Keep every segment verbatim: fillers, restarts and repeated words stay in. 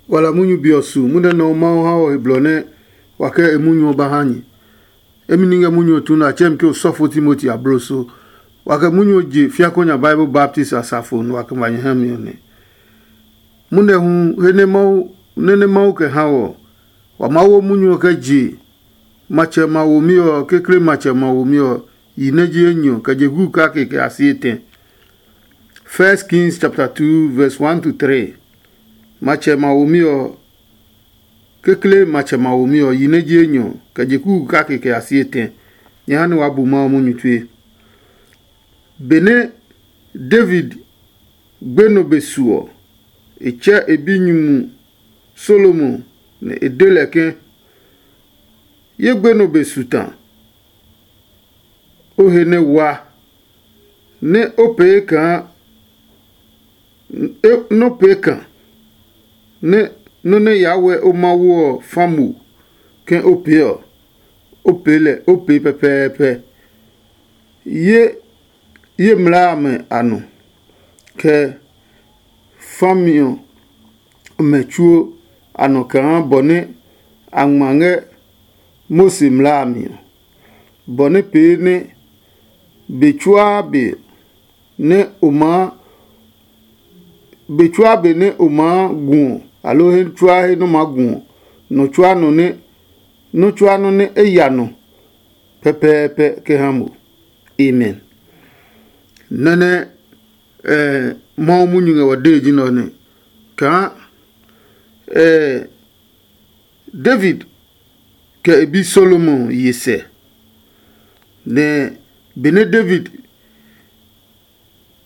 Wala munyu be ɔ su munyu nɛ Mawu ha ɔ he blɔ nɛ wa kɛ e munyu ɔ ba ha nyɛ. Emi ni ngɛ munyu ɔ tu nɛ a tsɛɛ mi ke osɔfo Timoti abloso. Wa kɛ munyu ɔ je fiakonya Bible baptist asafo nɛ wa kɛ ma nyɛ ha mi ɔ nɛ. Munɛ hu he nɛ Mawu nɛ nɛ Mawu kɛ ha ɔ, wa maa wo munyu ɔ kɛ je matsɛ ma womi ɔ, kekle matsɛ ma womi ɔ yi nɛ ji enyɔ kɛ je gu kake kɛ a si etɛ. First Kings chapter two verse one to three. Matsɛ ma womi ɔ, kekle matsɛ ma womi ɔ yi nɛ ji enyɔ kɛ je gu kake kɛ a si etɛ. Nyɛ ha nɛ waa bu Mawu munyu tue. Benɛ David gbe nɔ be su ɔ, e tsɛ e binyumu Salomo nɛ e de lɛ ke, ye gbe nɔ be su ta, o he nɛ wa, nɛ o pee kaa nɔ pee ka, nɛ nɔ́ nɛ yaa wɛ o Mawu ɔ fa mo ke o pee ɔ, o pee lɛ o pee pɛpɛɛpɛ. Ye ye mlaa amɛ a nɔ, kɛ fami ɔmɛ tsuo a nɔ kaa bɔ nɛ a ngma ngɛ Mose mlaa a mi ɔ, bɔ nɛ pee nɛ be tsuaa be nɛ o maa be tsuaa be nɛ o maa gu ɔ, aloo he tsuaa he nɔ maa gu ɔ, nɔ tsuaa nɔ nɛ nɔ tsuaa nɔ nɛ e ya nɔ pɛpɛɛpɛ kɛ ha mo. Amen. Nɛnɛ eh, Mawu munyu ngɛ wa dee ji nɛ ɔ nɛ kaa eh, David kɛ e bi Solomon ye sɛ. Nɛ benɛ David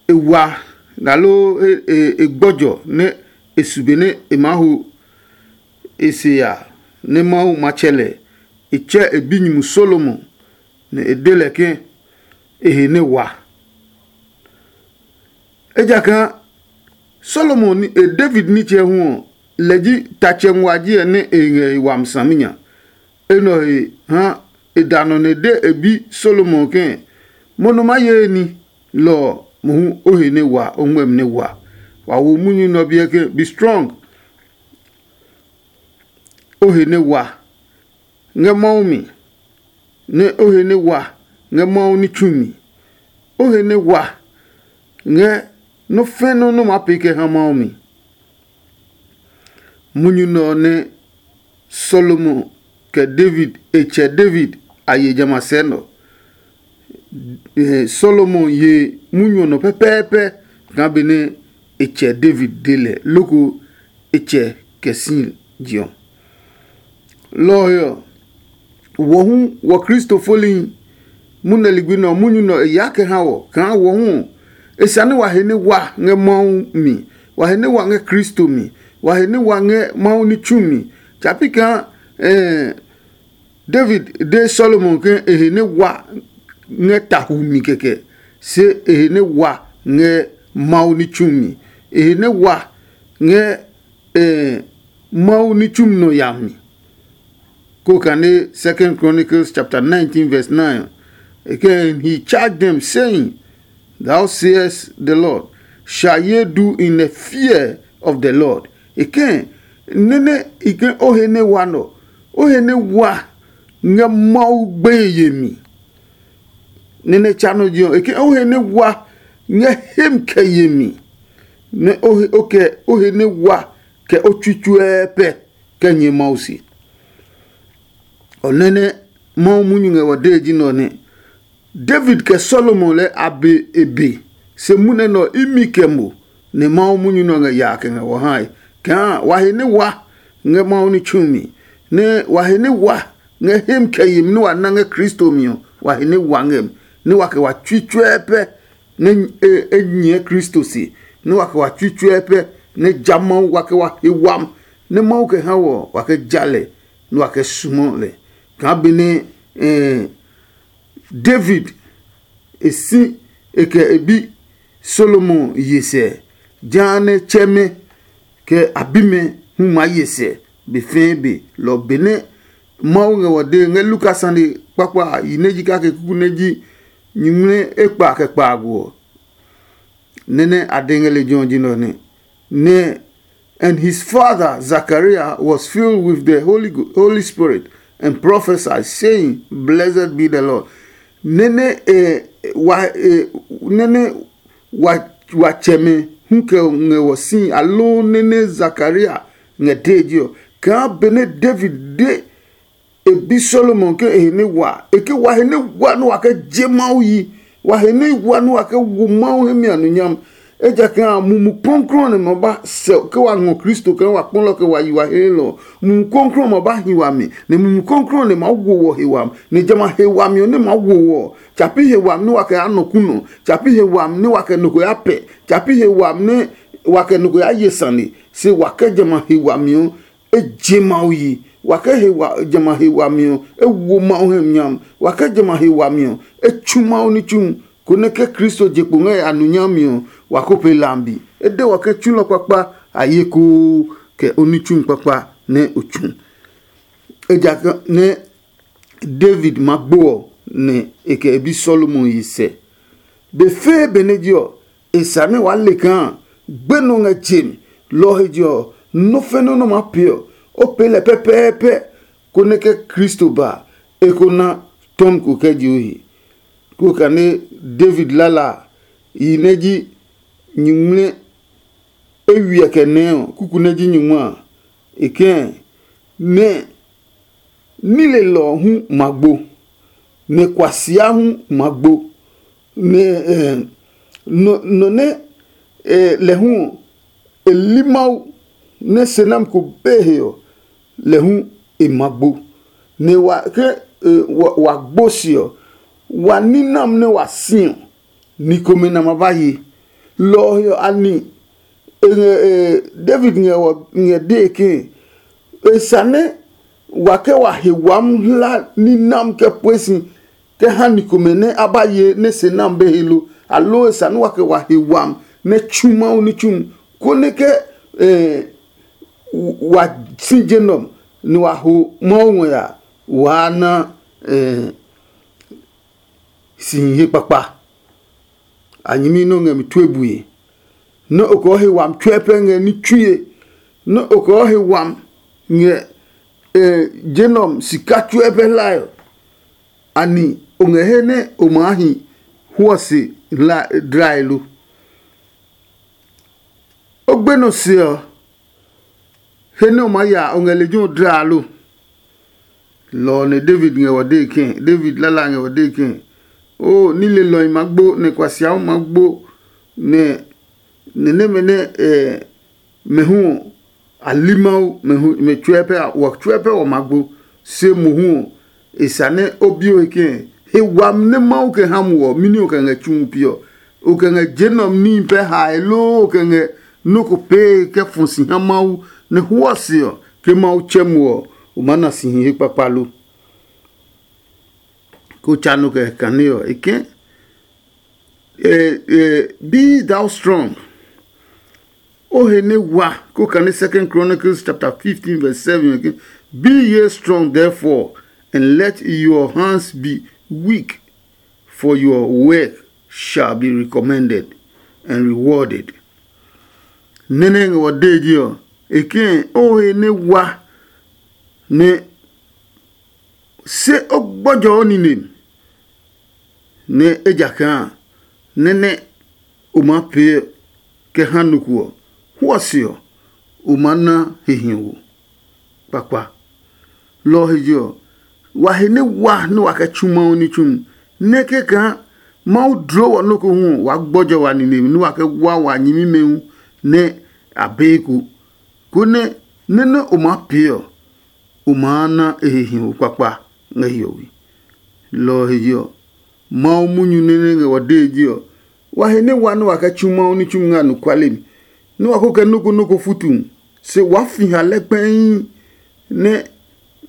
e wa, aloo e gbɔjɔ nɛ e su benɛ e maa ho e se ya, nɛ Mawu matsɛ lɛ, e tsɛ e binyumu Solomon, nɛ e de lɛ ke e he nɛ wa. Ejakaa Solomon e David nitsɛ hu ɔ, lɛ ji tatsɛ nguaji ɛ nɛ e ngɛ e wami saminya. Enɛ ɔ he ha e da nɔ nɛ e de e bi Solomon ke, mo nɔ ma ye ní lɔ ɔ mohu o he nɛ wa, o ngmɛmi nɛ wa. Wa wo munyu nɛ ɔ biɛ ke, be strong, o he nɛ wa ngɛ Mawu mi, nɛ o he nɛ wa ngɛ Mawu ní tsu mi, o he nɛ wa ngɛ nɔ́ fɛ̃ nɔ́ nɛ o maa pee kɛ ha Mawu mi. Munyu nɛ ɔ nɛ Salomo kɛ David e tsɛ David a ye jamɛ a sɛɛ nɔ. Salomo ye munyu ɔ nɔ pɛpɛɛpɛ kaa benɛ e tsɛ David de lɛ loko e tsɛ kɛ si je ɔ. Lɔ ɔ he ɔ, wɔ hu wɔ Kristo folihi munɛ ligbi nɛ ɔ munyu nɛ ɔ e yaa kɛ ha wɔ kaa wɔ hu ɔ, e sane wa he nɛ wa ngɛ Mawu mi, wa he nɛ wa ngɛ Kristo mi, wa he nɛ wa ngɛ Mawu ní tsu mi. Tsa pi kaa David de Solomon ke e he nɛ wa ngɛ tahu mi kɛkɛ, se e he nɛ wa ngɛ Mawu ní tsu mi, e he nɛ wa ngɛ Mawu ní tsumi nɔ ya mi. Ko kane Second Chronicles chapter nineteen verse nine. Again, he charged them, saying, "Thou sayest the Lord, shall ye do in the fear of the Lord?" Again, nene ike o he ne wa nɔ, o he ne wa ngɛ Mawu gbeye yemi. Nene tsa nɔ ji ɔ, eke o he ne wa ngɛ hem kɛ yemi, nɛ o he o kɛ o he ne wa kɛ o tsui tsuɛɛ pɛ kɛ nyɛ Mawu se. Ɔ nɛ nɛ Mawu munyu ngɛ wa dee ji nɛ ɔ nɛ. David kɛ Solomon lɛɛ a be e be, se munɛ nɛ ɔ imi kɛ mo, nɛ Mawu munyu nɛ ɔ ngɛ yaa kɛ ngɛ wɔ hae. Kaa wa he nɛ wa ngɛ Mawu ní tsu mi, nɛ wa he nɛ wa ngɛ hem kɛ yemi nɛ wa na ngɛ Kristo mi ɔ, wa he nɛ wa ngɛ mi, nɛ wa kɛ wa tsui tsuɛɛ pɛ nɛ e nyɛɛ Kristo se, nɛ wa kɛ wa tsui tsuɛɛ pɛ nɛ ja Mawu wa kɛ wa he wami, nɛ Mawu kɛ ha wɔ wa kɛ ja lɛ, nɛ wa kɛ sumɔ lɛ. Kaa benɛ David e si e kɛ e bi Solomon ye sɛ, jehanɛ tsɛmɛ kɛ a bimɛ hu maa ye sɛ be fɛɛ be. Lɔ benɛ Mawu ngɛ wɔ dee ngɛ Luka sane kpakpa a yi nɛ ji kake kuku nɛ ji nyingmlɛ ekpa kɛ kpaago ɔ, nɛ nɛ a de ngɛ lejɛ ɔ ji nɛ ɔ nɛ. Nɛ And his father Zachariah was filled with the Holy, Holy Spirit and prophesied, saying, Blessed be the Lord. Nene eh, wa, eh, nene wa, wa tsɛmɛ hu kɛ ngɛ wɔ si, aloo nene Zakaria ngɛ dee ji ɔ, kaa benɛ David de e bi Solomon ke e he nɛ wa, e ke wa he nɛ wa nɛ wa kɛ je Mawu yi, wa he nɛ wa nɛ wa kɛ wo Mawu hɛ mi a nɔ nyam. Ejakaa a, Mumi Klɔuklɔu nɛ ma ba sɛ ke wa ngɔ Kristo kɛ wa kpɔlɔ kɛ wa yi wa heelɔ. Mumi Klɔuklɔu ma ba hi wami, nɛ Mumi Klɔuklɔu nɛ ma wo wɔ he wami, nɛ jamɛ a he wami ɔ nɛ ma wo wɔ ɔ, tsapi he wami nɛ wa kɛ ya nɔ kunɔ, tsapi he wami nɛ wa kɛ nɔ ko ya pɛ, tsapi he wami nɛ wa kɛ nɔ ko ya ye sane, se wa kɛ jamɛ a he wami ɔ, e je Mawu yi. Wa kɛ he wa jamɛ a he wami ɔ, e wo Mawu hɛ nyam. Wa kɛ jamɛ a he wami ɔ, e tsu Mawu ní tsu, konɛ ke Kristo je kpo ngɛ a nu nyami ɔ, wa ko pee lambi. E de wa ke tsulɔ kpakpa a ye koo kɛ o ní tsu kpakpa nɛ o tsu. Ejakaa nɛ David ma gbo ɔ, nɛ e kɛ e bi Solomon yi sɛ. Be fɛɛ benɛ je ɔ, e sa nɛ waa le kaa gbe nɔ ngɛ je mi. Lɔ ɔ he je ɔ, nɔ́ fɛnɛ nɔ́ maa pee ɔ, o pee lɛ pɛpɛɛpɛ, konɛ ke Kristo ba a, e ko na tɔmi ko kɛ je o he. Koo kane David lala a, yi nɛ ji nyingmlɛ eywiɛ kɛ nɛɛ ɔ, kuku nɛ ji nyingma a, e kɛ̃ nɛ nilelɔ ɔ hu ma gbo, nɛ kuasia hu ma gbo, nɛ nɔ nɛ lɛ hu ɔ, e li Mawu nɛ se nami ko be he ɔ, lɛ hu e ma gbo. Nɛ wa ke wa gbo se ɔ, wa ní nami nɛ wa si ɔ, ni komɛ nɛ a ma ba ye. Lɔ ɔ he ɔ, a ni e ngɛ David ngɛ dee ke e sane wa kɛ wa he wami hla ní nami kɛ pue si kɛ ha ni komɛ nɛ a ba ye nɛ se nami be he lo, aloo e sane wa kɛ wa he wami nɛ tsu Mawu ní tsumi, konɛ ke wa si je nɔ nɛ wa ho Mawu ngɔ ya, waa na si hihe kpakpa. A nyɛmi nɛ o ngɛ mi tue bue, nɛ o kɛ o he wami tsuɛ pɛ ngɛ ní tsue, nɛ o kɛ o he wami ngɛ je nɛ ɔ sika tsuɛ pɛ hlae ɔ, anɛ o ngɛ he nɛ o maa hi hwɔ se hlae lo? O gbenɔ se ɔ, he nɛ o maa ya o ngɛ lejɛ ɔ dla lo? Lɔ ɔ nɛ David ngɛ wɔ dee kɛ̃, David lala ngɛ wɔ dee kɛ̃. Oo, nilelɔhi ma gbo, nɛ kuasiahu ma gbo, nɛ nɛ nɛmɛ nɛ mɛ hu ɔ, a li Mawu, mɛ tsuɛ pɛ, wɔ tsuɛ pɛ wɔ ma gbo. Se mohu ɔ, e sa nɛ o bi o he kɛ̃, he wami nɛ Mawu kɛ ha mo ɔ, mɛni o kɛ ngɛ tsumu pi ɔ? O kɛ ngɛ je nɛ ɔ níhi pɛ hae loo o kɛ ngɛ nɔ́ ko pee kɛ fɔ si ha Mawu nɛ hwɔ se ɔ, ke Mawu tsɛ mo ɔ, o maa na si hihe kpakpa lo? Ko tsa nɔ kɛ kane ɔ, e ke, eh, eh, be thou strong. O he nɛ wa ko kane Second Chronicles chapter fifteen verse seven ke, be ye strong therefore, and let your hands be weak, for your work shall be recommended and rewarded. Nene ngɛ wɔ dee ji ɔ, e ke o he nɛ wa nɛ se o gbɔjɔ o nine, nɛ ejakaa nɛ nɛ o maa pee kɛ ha nɔ ko ɔ, hwɔ se ɔ, o maa na he hiɔwo kpakpa. Lɔ ɔ he je ɔ, wa he nɛ wa nɛ wa kɛ tsu Mawu ní tsumi, nɛ kɛkaa Mawu dloo wɔ nɔ́ ko hu ɔ, waa gbɔjɔ wa nine nɛ wa kɛ wa wa nyɛmimɛ hu nɛ a be eko, konɛ nɛ nɛ o maa pee ɔ, o maa na e he hiɔwo kpakpa ngɛ hiɔwe. Lɔ ɔ he je ɔ, Mawu munyu nɛ nɛ ngɛ wa dee ji ɔ, wa he nɛ wa nɛ wa kɛ tsu Mawu ní tsumi ngɛ anɔkuale mi, nɛ wa ko kɛ nɔ́ ko nɔ́ ko futu, se waa fi ha lɛ kpɛii nɛ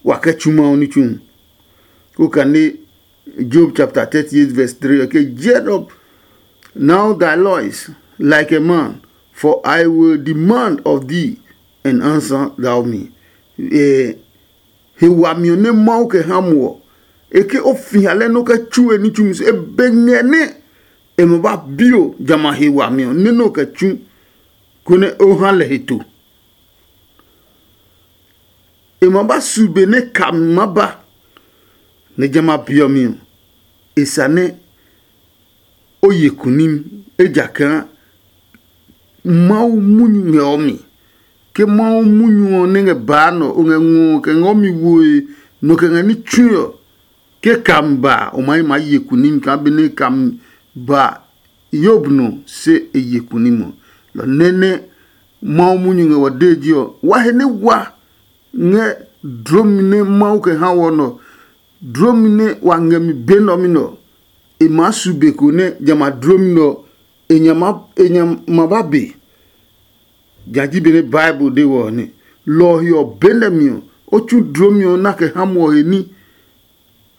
wa kɛ tsu Mawu ní tsumi. Ko kane Job chapter thirty-eight verse three ɔ ke, "Get up now thy loins like a man, for I will demand of thee, and answer thou me." Eh, he wami ɔ nɛ Mawu kɛ ha mo ɔ, e ke o fi ha lɛ nɛ o kɛ tsu e ní tsumi so, e be ngɛ nɛ e ma ba bi o jamɛ a he wami ɔ nɛ nɛ o kɛ tsu, konɛ o ha lɛ he to. E ma ba su be nɛ kami ma ba, nɛ jamɛ a be ɔ mi ɔ, e sane o ye kunim, ejakaa Mawu munyu ngɛ ɔ mi. Ke Mawu munyu ɔ nɛ ngɛ baa nɔ, o ngɛ ngɔ kɛ ngɛ ɔ mi woe, nɔ kɛ ngɛ ní tsui ɔ, ke kami ba ɔ, o ma yi ma ye kunim kaa benɛ kami ba Yob nɔ se e ye kunim ɔ. Lɔ nɛ nɛ Mawu munyu ngɛ wɔ dee ji ɔ, wa he nɛ wa ngɛ dlomi nɛ Mawu kɛ ha wɔ nɔ, dlomi nɛ wa ngɛ mi be nɔ mi nɔ. E maa su be ko nɛ jamɛ a dlomi nɔ e nya ma e nya ma ba be. Ja ji benɛ Bible de wɔ ɔ nɛ. Lɔ ɔ he ɔ, benɛ mi ɔ, o tsu dlomi ɔ na kɛ ha muɔ he ní,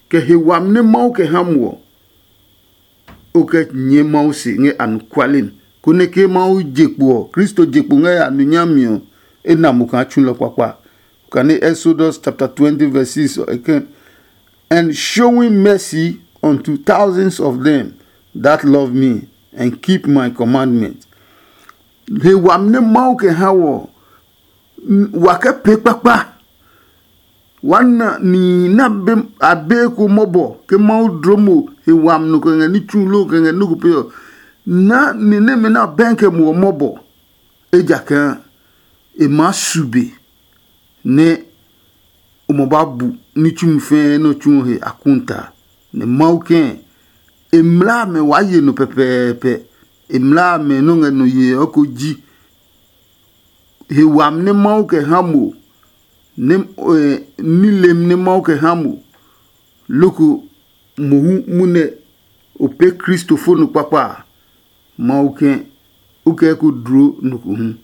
kɛ he wami nɛ Mawu kɛ ha muɔ. O kɛ nyɛɛ Mawu se ngɛ anɔkuale mi, konɛ ke Mawu je kpo ɔ, Kristo je kpo ngɛ ya nu nyami ɔ, e na mo kaa tsulɔ kpakpa. Kane Exodus chapter twenty verse six ɔ, e kɛ, "And showing mercy unto thousands of them that love me and keep my commandment." He wami nɛ Mawu kɛ ha wɔ, wa kɛ pee kpakpa. Wa na nihi nɛ a be ko mɔbɔ ke Mawu dloo mo he wami nɔ kɛ ngɛ ní tsu loo kɛ ngɛ ní ko pee ɔ, na ni nɛmɛ nɛ a bɛɛ kɛ mo ɔ mɔbɔ, ejakaa e maa su be nɛ o ma ba bu ní tsumi fɛɛ nɛ o tsu ɔ he akuta. Nɛ Mawu kɛɛ, e mlaa amɛ waa ye nɔ pɛpɛɛpɛ. E mlaa amɛ nɔ́ ngɛ nɔ yee ɔ ko ji he wami nɛ Mawu kɛ ha mo, nɛ nilem nɛ Mawu kɛ ha mo, loko mohu munɛ o pee Kristo fo nɔ kpakpa a, Mawu kɛ o kɛ ko dlo nɔ ko hu.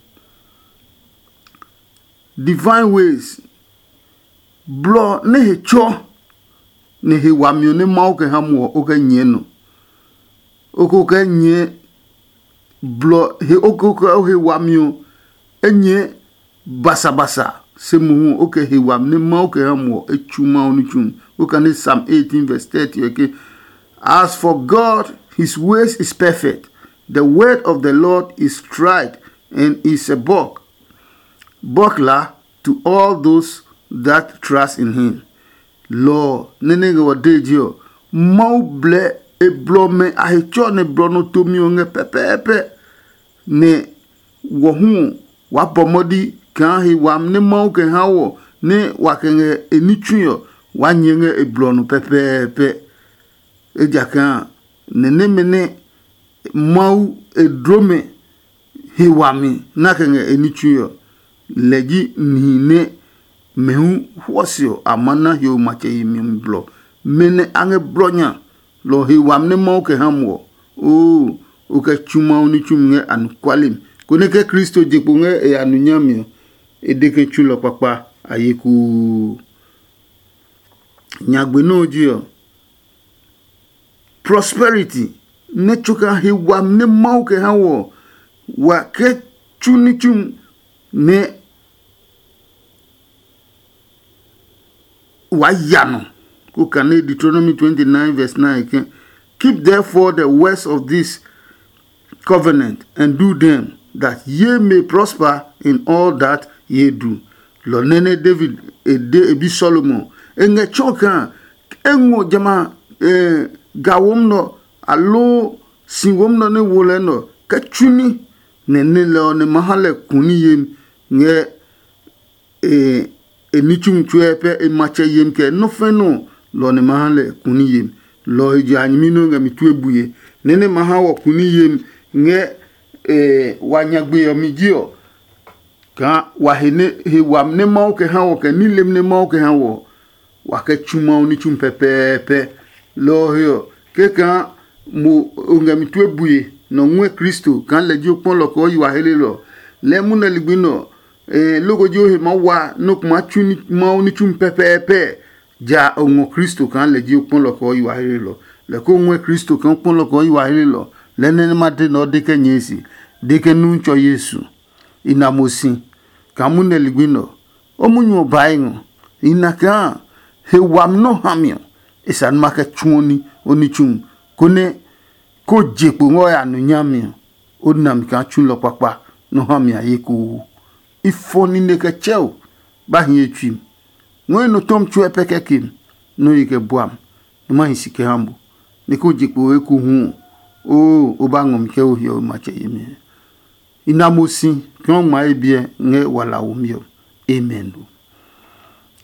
Divine ways, blɔ nɛ he tsɔ nɛ he wami ɔ nɛ Mawu kɛ ha mo ɔ, o kɛ nyɛɛ nɔ. O ko kɛ nyɛɛ blɔ he o ko kɛ o he wami ɔ, e nyɛɛ basabasa. Se mohu o kɛ he wami nɛ Mawu kɛ ha mo ɔ, e tsu Mawu ní tsu. O kane Psalm eighteen verse thirty ɔ ke, "As for God, his ways is perfect. The word of the Lord is tried and is a bulk, buckler to all those that trust in him." Lɔ ɔ nɛ nɛ ngɛ wa dee je ɔ, Mawu blɛ e blɔ mɛ a he tsɔ nɛ blɔ nɔ tomi ɔ ngɛ pɛpɛɛpɛ. Nɛ wɔ hu ɔ, waa bɔ mɔdi kaa he wami nɛ Mawu kɛ ha wɔ nɛ wa kɛ ngɛ e ní tsui ɔ, waa nyɛɛ ngɛ e blɔ nɔ pɛpɛɛpɛ. Ejakaa nɛ nɛmɛ nɛ Mawu e dloo mɛ he wami nɛ a kɛ ngɛ e ní tsui ɔ, lɛ ji nihi nɛ mɛ hu huɔ se ɔ a maa na hiɔwe matsɛ yemi ɔ mi blɔ. Mɛ nɛ a ngɛ blɔ nya lɔ ɔ he wami nɛ Mawu kɛ ha mo ɔ, oo, o kɛ tsu Mawu ní tsumi ngɛ anɔkuale mi, konɛ ke Kristo je kpo ngɛ e ya nu nyami ɔ, e de ke tsulɔ kpakpa a ye kuu. Nyagbe nɔ́ ɔ ji ɔ, prosperity nɛ tsoka he wami nɛ Mawu kɛ ha wɔ ɔ, wa kɛ tsu ní tsumi nɛ wa ya nɔ. Ko kane Deuteronomy twenty-nine verse nine ke, "Keep therefore the words of this covenant and do them, that ye may prosper in all that ye do." Lɔ nɛ nɛ David e de e bi Solomon, e ngɛ tsɔ kaa e ngɔ jamɛ a ga wom nɔ, aloo si wom nɔ nɛ wo lɛ nɔ kɛ tsuni, nɛ nɛ lɛ ɔ nɛ ma ha lɛ kuni yemi ngɛ e ní tsumi tsuɛ pɛ e matsɛ yemi kɛ nɔ́ fɛ́ nɔ lɔ nɛ ma ha lɛ kuni yemi. Lɔ ɔ he je a nyɛmi nɛ o ngɛ mi tue bue, nɛ nɛ ma ha wɔ kuni yemi ngɛ wa nyagbe ɔ mi ji ɔ, kaa wa he nɛ he wami nɛ Mawu kɛ ha wɔ kɛ nilem nɛ Mawu kɛ ha wɔ ɔ, wa kɛ tsu Mawu ní tsumi pɛpɛɛpɛ. Lɔ ɔ he ɔ, kɛkaa mo o ngɛ mi tue bue nɛ o ngɔɛ Kristo kaa lɛ ji o kpɔ lɔ kɛ o yi wa helelɔ. Lɛɛ munɛ ligbi nɛ ɔ, loko ji o he maa wa nɛ o kuma tsu Mawu ní tsumi pɛpɛɛpɛ, ja o ngɔ Kristo kaa lɛ ji o kpɔ lɔ kɛ o yi wa helelɔ. Lɛ ko ngɔɛ Kristo kaa o kpɔ lɔ kɛ o yi wa helelɔ. Lɛ nɛ nɛ ma de nɛ o de kɛ nyɛɛ si, de kɛ nu tsɔ Yesu. I na mo si kaa munɛ ligbi nɛ ɔ, o munyu ɔ bae ngɔ. I na kaa he wami nɛ o ha mi ɔ, e sa nɛ ma kɛ tsuɔ ní o ní tsu, konɛ ko je kpo ngɛ o ya nu nyami ɔ, o na mi kaa tsulɔ kpakpa nɛ o ha mi a ye koo. I fɔ nine kɛ tsɛ o, ba hi e tsui mi. Ngɔɛ nɔ tɔmi tsuɛ pɛ kɛ kem, nɔ yi kɛ bua mi, nɔ ma hi si kɛ ha mo, nɛ ko je kpo ekohu ɔ, oo, o ba ngɔ mi kɛ o hiɔwe matsɛ yemi. I na mo si kaa o ngma ye biɛ ngɛ wala womi ɔ. Amen.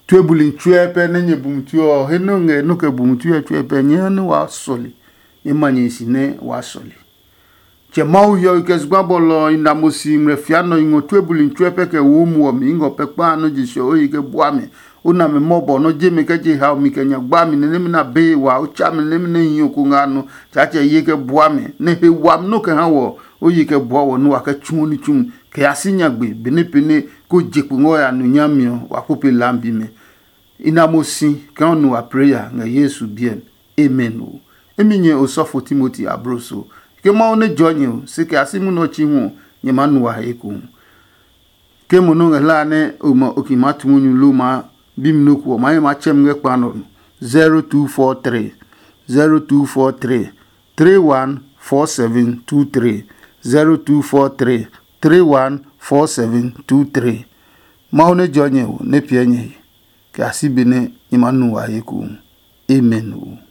Tue buli tsuɛ pɛ nɛ nyɛ bu mi tue ɔ, he nɔ ngɛ nɔ kɛ bu mi tue tsuɛ pɛ nyɛ ha nɛ waa sɔle. Nyɛ ma nyɛ si nɛ waa sɔle. Tsɛ Mawu hiɔwe kɛ zugba bɔlɔ ɔ, i na mo si ngmlɛ fia nɔ i ngɔ tue buli tsuɛ pɛ kɛ wo muɔ mi i ngɔ pɛ kpa nɔ je sɛ o yi kɛ bua mi. O na mi mɔbɔ nɔ je mi kɛ je hao mi kɛ nya gba mi nɛ nɛmɛ na be wa o tsa mi nɛmɛ nɛ hi ko nga nɔ. Tsaatsɛ ye kɛ bua mi nɛ he wami nɔ kɛ ha wɔ o yi kɛ bua wɔ nua kɛ tsu ní tsumi kɛ ya si nyagbe benɛ pɛnɛ ko je kpo ngɔ ya nu nyami ɔ wa kpo pe lambi mɛ. I na mo si kaa o nu wa preya ngɛ Yesu biɛ mi. Amen o. Emi nyɛ osɔfo Timoti abloso. Ke Mawu nɛ jɔ nyɛ o, se kɛ a si munɔ chi hu ɔ, nyɛ maa nu wa he ekohu. Ke mo nɔ ngɛ hlaa nɛ o ma o ki maa tu munyu lo maa bi mi nɔ ko ɔ, maa nyɛ maa tsɛ mi ngɛ kpa nɔ nɔ. Zero two four three, zero two four three, three one four seven two three, zero two four three, three one four seven two three. Mawu nɛ jɔ nyɛ o, nɛ piɛ nyɛ he, kɛ a si be nɛ nyɛ maa nu wa he ekohu. Amen o.